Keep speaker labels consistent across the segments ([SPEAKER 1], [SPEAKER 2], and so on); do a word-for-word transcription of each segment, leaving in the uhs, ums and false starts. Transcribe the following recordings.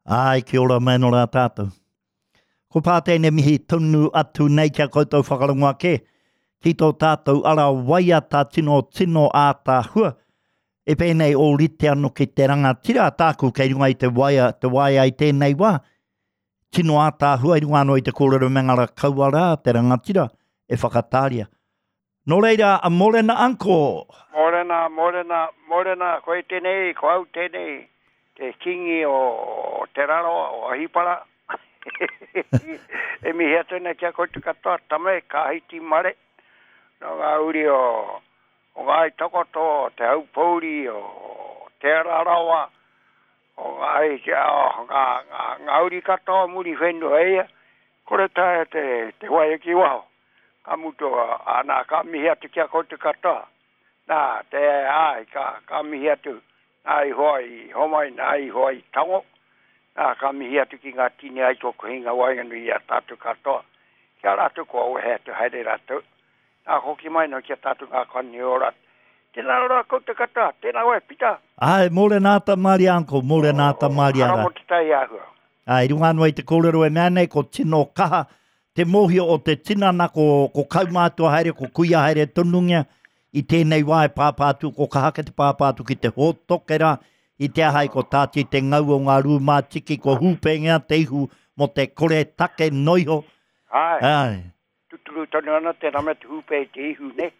[SPEAKER 1] Ai, kia ora mai anō rā tātou. Ko pā tēnei mihi tonu atu nei kia koutou whakarongo ake ki tō tātou ara waiata tino tino ātaahua. E pēnei o rite anō ki te rangatira tāku kei runga i te waia, te waia i tēnei wā. Tino ātaahua i runga anō i te kōrero me ngā kaua rā te rangatira e whakatāria. Nō reira, a mōrena uncle.
[SPEAKER 2] Mōrena, mōrena, mōrena, koe tēnei, ko au tēnei, te kingi o Te Rarawa, o Ahipara. E mihi atu nei ki a koutou katoa, tame, ka hiti mare, no ngā uri o, o Ngāi Takoto, o Te Haupouri, o Te Rarawa, o Ngāi, o ngā, ngā, ngā uri katoa muri whenua ia, kore taea te, te waia ki waho. Ka mutu, a, nā, ka mihi atu ki a koutou katoa. Nā, te ai, ka, ka mihi atu, nā i hoa i homai, nā i hoa i tango. Nā, ka mihi atu ki ngā tini ai tō kohinga waenganui i a tātou katoa. Kia rātou kua wehe atu haere rātou. Nā, hoki mai no ki a tātou ngā kani o rātou. Tēnā rā koutou katoa, tēnā oe, Pita.
[SPEAKER 1] Ai, mōrena ata Maria uncle, mōrena ata Maria
[SPEAKER 2] Hara
[SPEAKER 1] rā.
[SPEAKER 2] mo te tai āhua.
[SPEAKER 1] Ai, i runga anō i te kōrero e mea nei, ko tino kaha te mōhio o te tinana, ko, ko kaumātua haere, ko kuia haere tonungia, i tēnei wā e pāpā atu, ko kaha ke te pāpā atu ki te hōtokera, i te ahai ko tāti te ngau o ngā rūmātiki, ko hūpengia te ihu mō te kore take noiho.
[SPEAKER 2] Ai,
[SPEAKER 1] Ai.
[SPEAKER 2] tuturu tonu ana te rame te hūpe i te ihu, ne?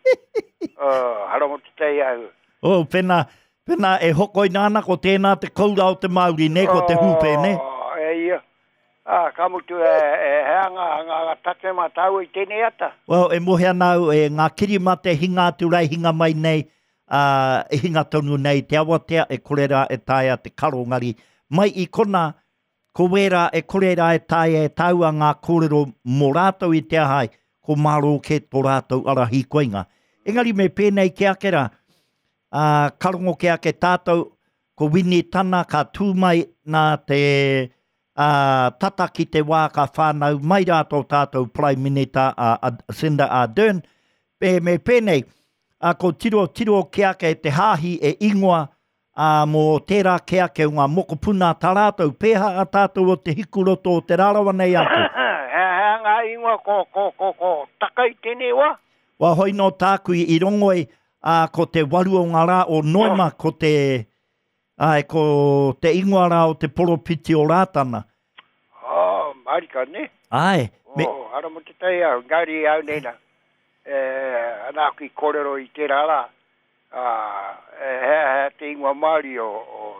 [SPEAKER 2] Uh, hara mo te tai āhua.
[SPEAKER 1] Oh, pena, pena e hokoina ana ko tēnā te koura o te Māori, ne, ko te hūpe, ne?
[SPEAKER 2] Oh, e ia. Ah, ka mutu e, e hea ngā, ngā, ngā take mā tāua i tēnei ata.
[SPEAKER 1] Well, e mohe ana au, e ngā kirimate hinga atu rai hinga mai nei, uh, e hinga tonu nei te awatea e kore rā e taea te karo ngari. Mai i kona, ko wērā e kore rā e taea e tāua ngā kōrero mō rātou i te ahai, ko mārō ke tō rātou ara hīkoinga. Engari me pēnei ke ake rā, uh, karongo ke ake tātou, ko Wini Tana ka tū mai nā te uh, tata ki te wā ka whānau mai rā tō tātou Prime Minister uh, Jacinda Ardern. Me, me pēnei, uh, ko tiro tiro ke ake te hāhi e ingoa uh, mō tērā ke ake o ngā mokopuna tā rātou, pēha a tātou o te hikuroto o Te Rarawa nei atu.
[SPEAKER 2] Hea, hea ngā ingoa ko, ko, ko, ko taka i tēnei wā.
[SPEAKER 1] Wā hoi nō tāku i rongoi, uh, ko te waru o ngā rā o Noema, ko te, ai, ko te ingoa rā o te poropiti o Rātana.
[SPEAKER 2] Oh, marika, ne?
[SPEAKER 1] Ai, me,
[SPEAKER 2] Oh, hara mo te tai au, ngāri au nei nā. E, ana aku i kōrero i tērā rā. Ah, e, hea, hea te ingoa Māori o, o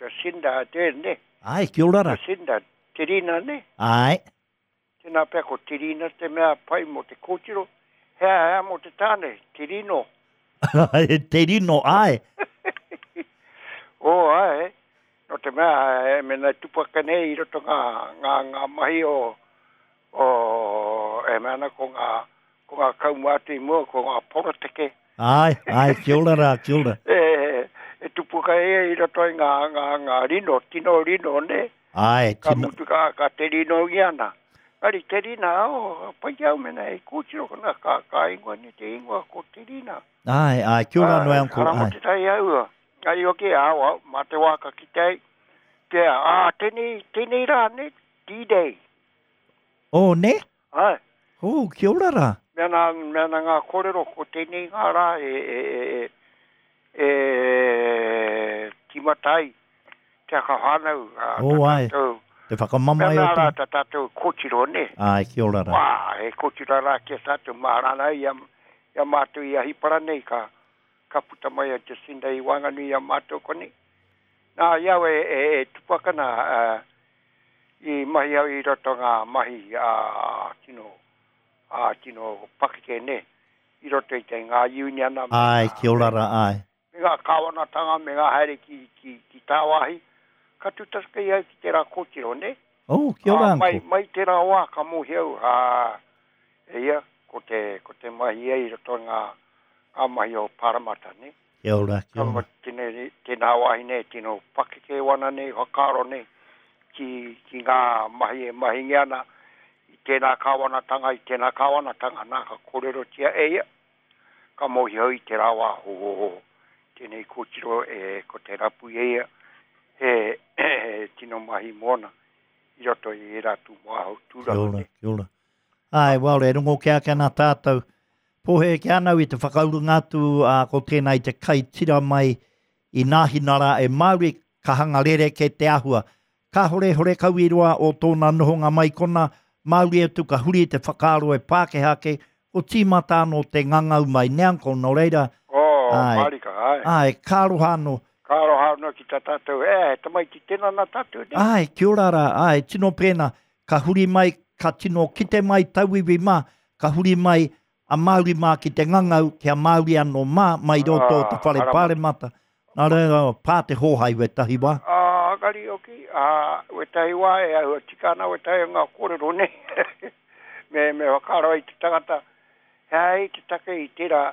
[SPEAKER 2] Jacinda Ardern, ne?
[SPEAKER 1] ai, kia ora rā.
[SPEAKER 2] Jacinda, Te Rina, ne?
[SPEAKER 1] Ai,
[SPEAKER 2] Tēnā pea ko Te Rina te mea pai mō te kōtiro. Hea, hea mō te tāne, Te Rino.
[SPEAKER 1] Te Rino, ai.
[SPEAKER 2] Oh, ai, no te mea, e mena tupaka nei i roto ngā, ngā, ngā mahi o, o, e mea ana ko ngā, ko ngā kaumātua i mua, ko ngā poroteke.
[SPEAKER 1] Ai, ai, kia ora rā, kia ora.
[SPEAKER 2] E, e tupuka e i roto i ngā, ngā, ngā rino, tino rino, ne?
[SPEAKER 1] Ai,
[SPEAKER 2] Ka
[SPEAKER 1] tino.
[SPEAKER 2] mutu ka, ka te rino i ana. Ari, te rina, oh, pai au mena e kōtiro kona, ka, ka ingoa ni te ingoa ko te rina.
[SPEAKER 1] Ai, ai, kia ora noe, uncle.
[SPEAKER 2] Hara mo
[SPEAKER 1] Ai.
[SPEAKER 2] te tai au. Ai, oke, au, au, mā te wāka ki te, te, ā, tēnei, tēnei rā, ne, D-Day.
[SPEAKER 1] Oh, ne?
[SPEAKER 2] Ai,
[SPEAKER 1] Oh, kia ora rā.
[SPEAKER 2] mea nā, mea nā ngā kōrero, ko tēnei ngā rā, e, e, e, e, e, timatai, te aka whānau, ā,
[SPEAKER 1] Oh,
[SPEAKER 2] tā
[SPEAKER 1] ai.
[SPEAKER 2] tātou,
[SPEAKER 1] Te whakamamae
[SPEAKER 2] mea
[SPEAKER 1] o
[SPEAKER 2] nā rā,
[SPEAKER 1] te.
[SPEAKER 2] tā tātou kōtiro, ne?
[SPEAKER 1] Ai, kia ora rā.
[SPEAKER 2] Wā, he kōtiro rā ki a tātou mārana i a, i a mātou i a Hipara nei, ka, ka puta mai a Jacinda i Wanganui i a mātou koni. Nā, i au e, e, e tupakana, uh, i mahi au i roto ngā mahi a tino, a tino pakeke ne, i roto i te ngā uniana me
[SPEAKER 1] Ai,
[SPEAKER 2] ngā,
[SPEAKER 1] kia ora rā, ai.
[SPEAKER 2] me ngā kāwanatanga, me ngā haere ki, ki, ki tāwāhi. Ka tutasaka i au ki tērā kōtiro, ne?
[SPEAKER 1] Oh, kia ora,
[SPEAKER 2] Ah, mai,
[SPEAKER 1] uncle.
[SPEAKER 2] mai tērā wā ka mōhi au, ā, e ia, ko te, ko te mahi ai i roto ngā, ngā mahi o Paramata, ne?
[SPEAKER 1] Kia ora, kia
[SPEAKER 2] Ka
[SPEAKER 1] ora.
[SPEAKER 2] mo tēnei, tēnā wāhi nei, tino pakeke wana nei, whakaaro nei, ki, ki ngā mahi e mahingi ana, i tēnā kāwanatanga, i tēnā kāwanatanga, nā ka kōrerotia e ia, ka mōhi au i te rā wā, ho, ho, ho, tēnei kōtiro e, ko te rapu e ia, he, he tino mahi mōna i roto i era tū wāhau tūranga.
[SPEAKER 1] Kia ora, kia ora. Ai, well, e rongo kia ake ana tātou. Pōhe ki anau i te whakaurunga atu uh, ko tēnā i te kai tira mai i Nāhinara e Māori ka hanga rere ke te ahua. Ka hore hore kau i roa o tōna nohonga mai kona, Māori atu ka huri te whakaaro e Pākehā ke, ko tīmata anō te ngangau mai neanko, nō reira.
[SPEAKER 2] Oh,
[SPEAKER 1] ai,
[SPEAKER 2] marika, ai.
[SPEAKER 1] Ai, ka aroha anō.
[SPEAKER 2] Ka aroha anō ki tā tātou, e, he tamaiti tēnā nā tātou, ne?
[SPEAKER 1] Ai, kia ora rā, ai, tino pēnā, ka huri mai, ka tino kite mai tauiwi mā, ka huri mai a Māori mā ki te ngangau, kia Māori anō mā, mai roto o te whare
[SPEAKER 2] Ah,
[SPEAKER 1] pāremata. Nā reira, pā te hōhai wetahi wā.
[SPEAKER 2] Ah, kari oki, ah, wetahi wā e ahua tika ana wetahi o ngā kōrero nei. Me, me whakaaro ai te tangata, hei te take i tērā,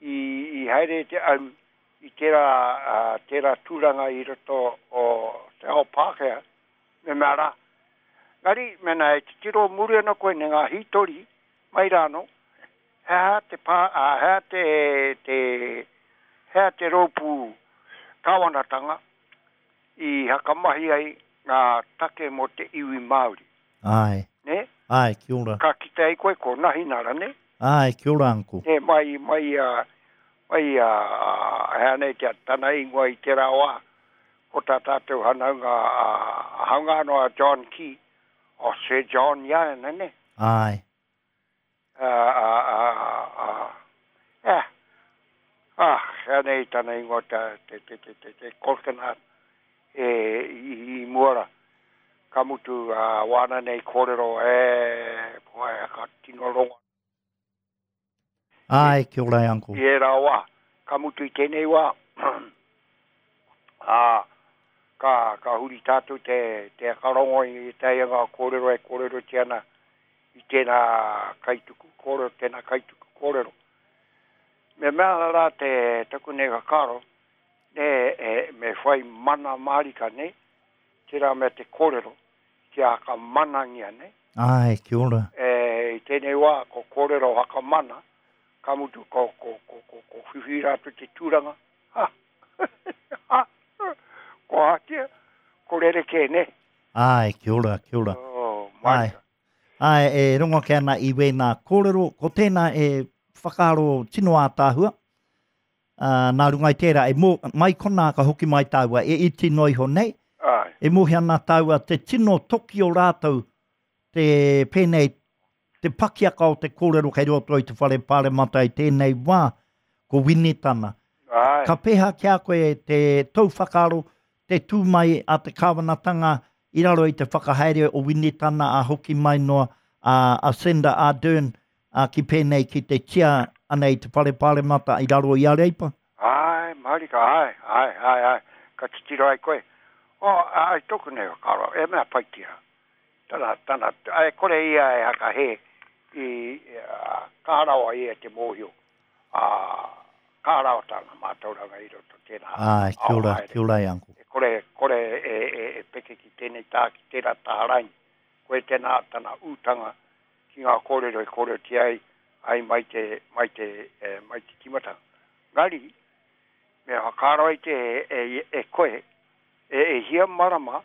[SPEAKER 2] i, i haere te aru, i tērā, uh, tērā tūranga i roto o te ao Pākehā, me mea rā. Ngari, mena e titiro muri ana koe ne ngā hītori, mai rāno, hea te pā, uh, hea te, te, hea te rōpū kāwanatanga i hakamahi ai ngā take mō te iwi Māori.
[SPEAKER 1] Ai,
[SPEAKER 2] Ne?
[SPEAKER 1] ai, kia ora.
[SPEAKER 2] Ka kite ai koe ko Nahinara, ne?
[SPEAKER 1] Ai, kia ora, uncle.
[SPEAKER 2] Ne, mai, mai, uh, mai, uh, hea nei te tana ingoa i te wā, ko tā tātou hanaunga, uh, haunga anō a John Key, o Sir John Iana, ne?
[SPEAKER 1] Ai.
[SPEAKER 2] Uh, uh, uh, uh, eh, ah, hea nei tana ingoa ta, te, te, te, te, te kolkana e, i, i muara. Ka mutu uh, wāna nei kōrero, e, poe, ka tino rongo.
[SPEAKER 1] Ai, kia ora, uncle.
[SPEAKER 2] I era wā, ka mutu i tēnei wā, ā, ka, ka huri tātou te, te akarongo i te ngā kōrero e kōrero te ana i tēnā kaituku kōrero, tēnā kaituku kōrero. Me mea rā te taku nei whakaaro, ne, e, me whai mana mārika nei, tērā mea te kōrero, kia whakamanangia nei.
[SPEAKER 1] Ai, kia ora.
[SPEAKER 2] E, i tēnei wā, ko kōrero whakamana, ka mutu ko, ko, ko, ko, ko whiwhi rātou te tūranga. Ha! Ha! Ko hatia, ko rere kē, ne?
[SPEAKER 1] Ai, kia ora, kia ora.
[SPEAKER 2] Oh,
[SPEAKER 1] Ai.
[SPEAKER 2] marika.
[SPEAKER 1] Ai, e rongo ke ana i wēnā kōrero, ko tēnā e whakaaro tino ātāhua. Uh, nā runga i tērā, e mō, mai konā ka hoki mai tāua, e iti noa iho nei,
[SPEAKER 2] Ai,
[SPEAKER 1] e mōhi ana tāua te tino toki o rātou, te pēnei, te pakiaka o te kōrero kei roto i te whare pāremata i tēnei wā, ko Winitana.
[SPEAKER 2] ai.
[SPEAKER 1] Ka pēhā ki a koe te tau whakaaro, te tū mai a te kāwanatanga i raro i te whakahaere o Winitana a hoki mai noa a, a Senda Ardern a ki pēnei ki te tia ana i te whare pāremata i raro i a Reipa.
[SPEAKER 2] Ai, marika, ai, ai, ai, ai. Ka titiro ai koe. O, ai, tōku nei whakaaro, e mea pai tira. Tana, tana, ai, kore ia e hakahe i, uh, ka rawa ia te mōhio. Uh, ka rawa tana mātauranga i roto tēnā.
[SPEAKER 1] Ai, kia ora,
[SPEAKER 2] ao haere.
[SPEAKER 1] kia ora e uncle.
[SPEAKER 2] E kore, kore e, e, e peke ki tēnei tā, ki tērā taha raini. Koe tēnā tana ūtanga ki ngā kōrero e kōrerotia ai, ai mai te, mai te, e, mai te timatanga. Ngari, me whakaaro ai te e, e, e koe, e, e hia marama,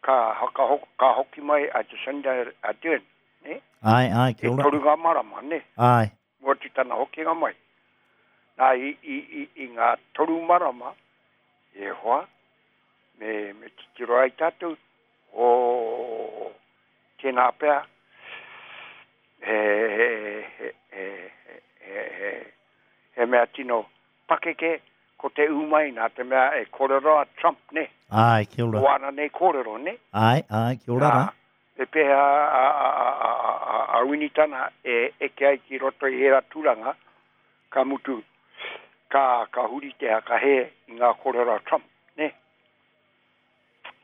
[SPEAKER 2] ka, haka, ka hoki mai a Jacinda Ardern, ne?
[SPEAKER 1] Ai, ai,
[SPEAKER 2] E
[SPEAKER 1] kia ora.
[SPEAKER 2] toru ngā marama, ne?
[SPEAKER 1] Ai,
[SPEAKER 2] Mō te tana hokinga mai. Nā, i, i, i, i ngā toru marama, e hoa, me, me titiro ai tātou, o tēnā pea, he, he, he, he, he, he, he mea tino pakeke, ko te umai nā te mea e kōrero a Trump, ne?
[SPEAKER 1] ai, kia ora.
[SPEAKER 2] Ko ana nei kōrero, ne?
[SPEAKER 1] Ai, ai, kia ora rā.
[SPEAKER 2] E pēhea a, a, a, a, a, a Winitana e eke ai ki roto i hera tūranga, ka mutu, ka, ka huri te hakahe i ngā kōrero a Trump, ne?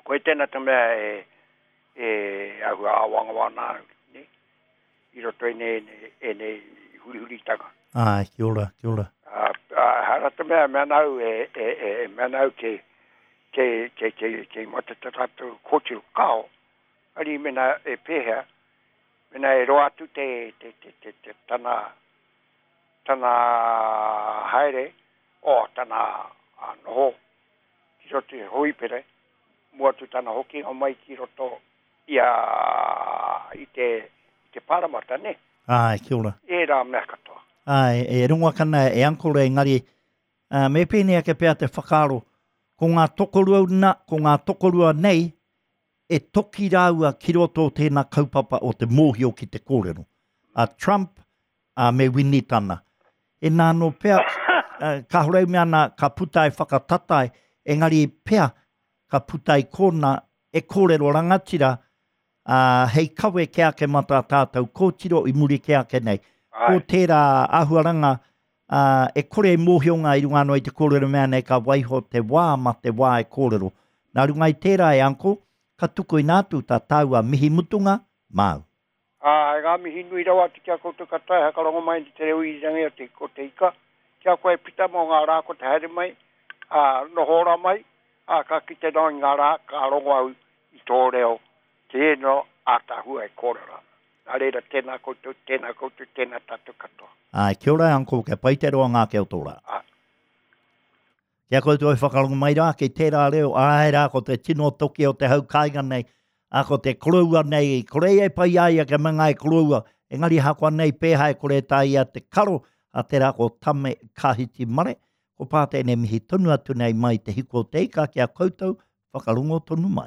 [SPEAKER 2] Koe tēnā te mea e, e ahua āwangawana au, ne? I roto i nei, nei, e nei hurihuritanga.
[SPEAKER 1] Ai, kia ora, kia ora.
[SPEAKER 2] Uh, uh, hara te mea, mea nau e, e, e, e mea nau ke, ke, ke, ke, ke mate te tātou kōtiro kao, ari mena e pēhea, mena e roa atu te, te, te, te, te tana, tana haere, o tana a, noho, ki roto i hoipere, Mua atu tana hokinga mai ki roto i a, i te, i te paramata, ne?
[SPEAKER 1] Āe, kia ora.
[SPEAKER 2] Ērā mea katoa.
[SPEAKER 1] Āe, e rongo ake ana e Uncle engari, uh, me pēnei ake pea te whakaaro, ko ngā tokorua na, ko ngā tokorua nei, e toki rāua ki roto o tēnā kaupapa o te mōhio ki te kōrero. A Trump a me Winitana. E nā anō pea, uh, kāore mea ana ka puta e whakatatai, engari pea ka puta i kōna e kōrero rangatira, uh, hei kawe ke ake mā tā tātou kōtiro i muri ke ake nei. Ko
[SPEAKER 2] Āe.
[SPEAKER 1] tērā āhuaranga, uh, e kore e mōhio ngā i runga anō i te kōrero mea nei ka waiho te wā ma te wā e kōrero. Nā runga i tērā e Uncle, ka tuku ina atu tā tāua mihi mutunga māu.
[SPEAKER 2] Ā, ngā mihi nui rawa atu ki a koutou katoa e hakarongo mai i te reo irirangi o te, o te ika. Kia koe pita mō ngā rā ko te haere mai, ā, noho ora mai, ā, ka kite noa i ngā rā, ka rongo au i tō reo, tēnō ātaahua e kōrero ana. Nā reira, tēnā koutou, tēnā koutou, tēnā tātou katoa.
[SPEAKER 1] Āe, kia ora Uncle, kia pai te roa ngā ke o tō rā.
[SPEAKER 2] Āe.
[SPEAKER 1] Kia koutou e whakarongo mai rā, ki tērā reo, āe rā, ko te tino toki o te hau kāinga nei, ā, ko te koroua nei, kore e pai ai a kia manga e koroua, engari hakoa nei pēha e kore tā ia te karo, a tērā ko Tame Kahiti Mare, ko pā tēnei mihi tonu atu nei mai te hiko o te ika ki a koutou, whakarongo tonu mai.